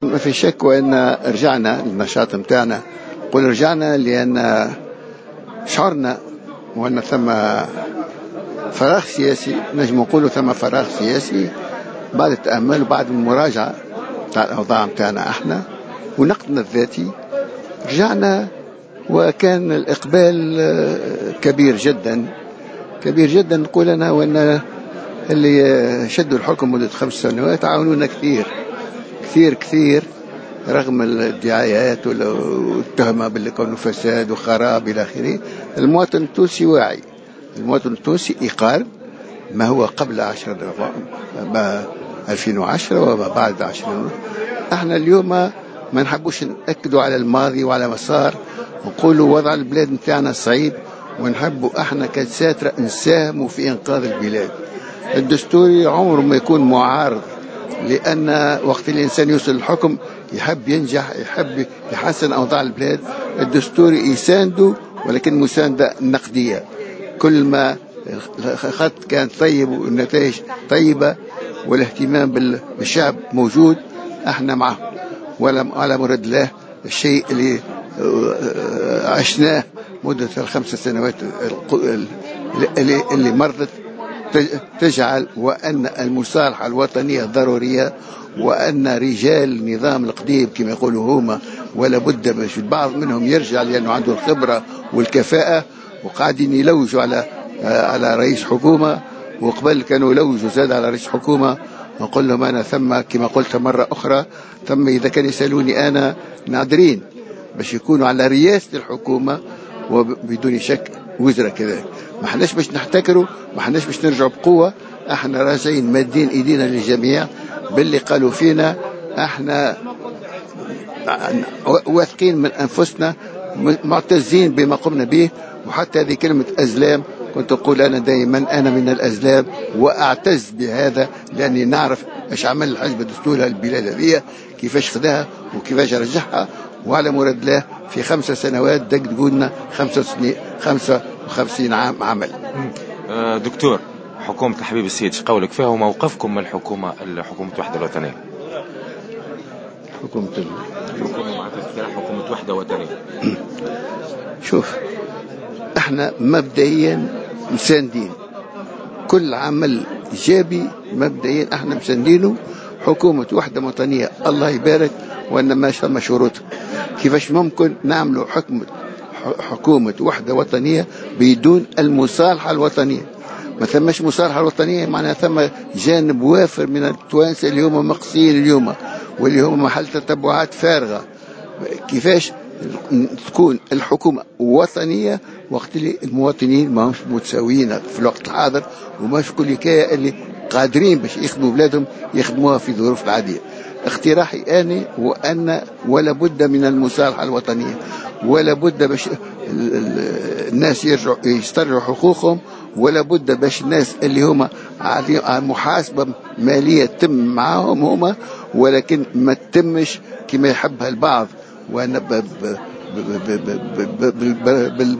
ما في شك وان رجعنا للنشاط نتاعنا. قل رجعنا لان شعرنا وان ثم فراغ سياسي، نجم نقولوا ثم فراغ سياسي بعد التامل وبعد المراجعة تاع الاوضاع نتاعنا احنا ونقدنا الذاتي. رجعنا وكان الاقبال كبير جدا كبير جدا. نقول انا وان اللي شدوا الحكم مده 5 سنوات عاونونا كثير كثير كثير، رغم الادعاءات والتهمة باللي كانوا فساد وخراب إلى آخره. المواطن التونسي واعي، المواطن التونسي يقارن ما هو قبل 10 ما 2010 وما بعد 10. احنا اليوم ما نحبوش نأكدوا على الماضي وعلى ما صار، نقولوا وضع البلاد نتاعنا صعيب ونحبوا احنا كدساترة نساهموا في انقاذ البلاد. الدستوري عمره ما يكون معارض، لأن وقت الإنسان يوصل للحكم يحب ينجح، يحب يحسن أوضاع البلاد. الدستوري يسانده ولكن مساندة نقدية. كل ما الخط كان طيب والنتائج طيبة والاهتمام بالشعب موجود، احنا معه. ولا على مراد الله الشيء اللي عشناه مدة ال5 سنوات اللي مرت تجعل وأن المصالحة الوطنية ضرورية، وأن رجال النظام القديم كما يقولوا هما ولا بد باش البعض منهم يرجع لأنه عنده الخبرة والكفاءة، وقاعدين يلوجوا على رئيس حكومة، وقبل كانوا يلوجوا زاد على رئيس حكومة. نقول لهم أنا ثم كما قلت مرة أخرى، ثم إذا كان يسألوني أنا نادرين باش يكونوا على رئاسة الحكومة وبدون شك وزراء كذلك. ما حناش باش نحتكروا، ما حناش باش نرجعوا بقوة، احنا راجعين مادين ايدينا للجميع باللي قالوا فينا. احنا واثقين من انفسنا، معتزين بما قمنا به. وحتى هذه كلمة أزلام، كنت أقول أنا دائما أنا من الأزلام وأعتز بهذا، لأني نعرف إيش عمل الحزب الدستوري البلاد هذه، كيفاش خداها وكيفاش رجعها. وعلى مراد الله في 5 سنوات دقدقولنا 55 عام عمل. دكتور، حكومة الحبيب السيد قولك فيها وموقفكم من الحكومة، حكومة الوحدة الوطنية؟ حكومة الحكومة معناتها حكومة وحدة وطنية. شوف، احنا مبدئيا مساندين كل عمل ايجابي، مبدئيا احنا مساندينه. حكومة وحدة وطنية الله يبارك، وانما ثم شروط. كيفاش ممكن نعملوا حكومة وحدة وطنية بدون المصالحة الوطنية؟ ما ثماش مصالحة وطنية، معناها ثم جانب وافر من التوانسة اللي هما مقصيين اليوم واللي هما محل تتبعات فارغة. كيفاش تكون الحكومة وطنية وقت اللي المواطنين ما همش متساويين في الوقت الحاضر، وما في كل كاية اللي قادرين باش يخدموا بلادهم يخدموها في ظروف العادية؟ اقتراحي أنا هو أن ولا بد من المصالحة الوطنية، ولا بد باش الناس يرجعوا يسترجعوا حقوقهم، ولا بد باش الناس اللي هما محاسبة مالية تتم معاهم هما، ولكن ما تتمش كما يحبها البعض وانا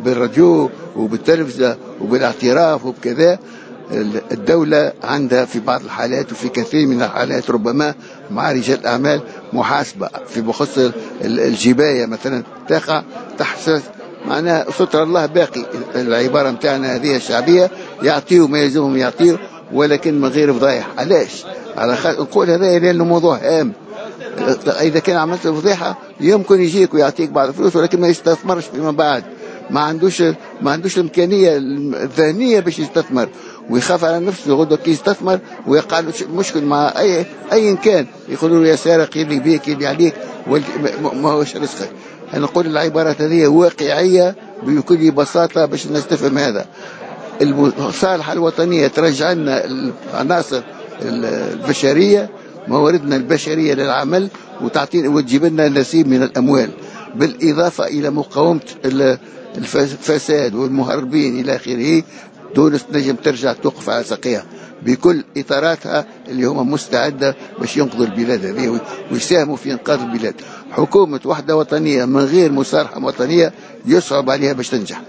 بالراديو وبالتلفزة وبالاعتراف وبكذا. الدولة عندها في بعض الحالات وفي كثير من الحالات ربما مع رجال الأعمال محاسبة في بخصوص الجباية مثلا تقع تحت معناها ستر الله باقي، العبارة متاعنا هذه الشعبية، يعطيوا ما يلزمهم يعطيوا ولكن من غير فضايح. علاش؟ على خاطر نقول هذا لأنه موضوع هام. إذا كان عملت فضيحة يمكن يجيك ويعطيك بعض الفلوس ولكن ما يستثمرش فيما بعد، ما عندوش الامكانية الذهنية باش يستثمر، ويخاف على نفسه غدوه كي يستثمر ويقع له مشكل مع اي كان، يقولوا له يا سارق، اللي بيك اللي عليك ما هوش رزقك. انا نقول العبارات هذه واقعية بكل بساطة باش الناس تفهم هذا. المصالحة الوطنية ترجع لنا العناصر البشريه، مواردنا البشرية للعمل، وتعطينا وتجيب لنا نصيب من الاموال، بالاضافة الى مقاومة الفساد والمهربين الى اخره. تونس تنجم ترجع توقف على ساقيها بكل اطاراتها اللي هما مستعدة باش ينقذوا البلاد هذه ويساهموا في انقاذ البلاد. حكومة وحده وطنية من غير مصالحه وطنية يصعب عليها باش تنجح.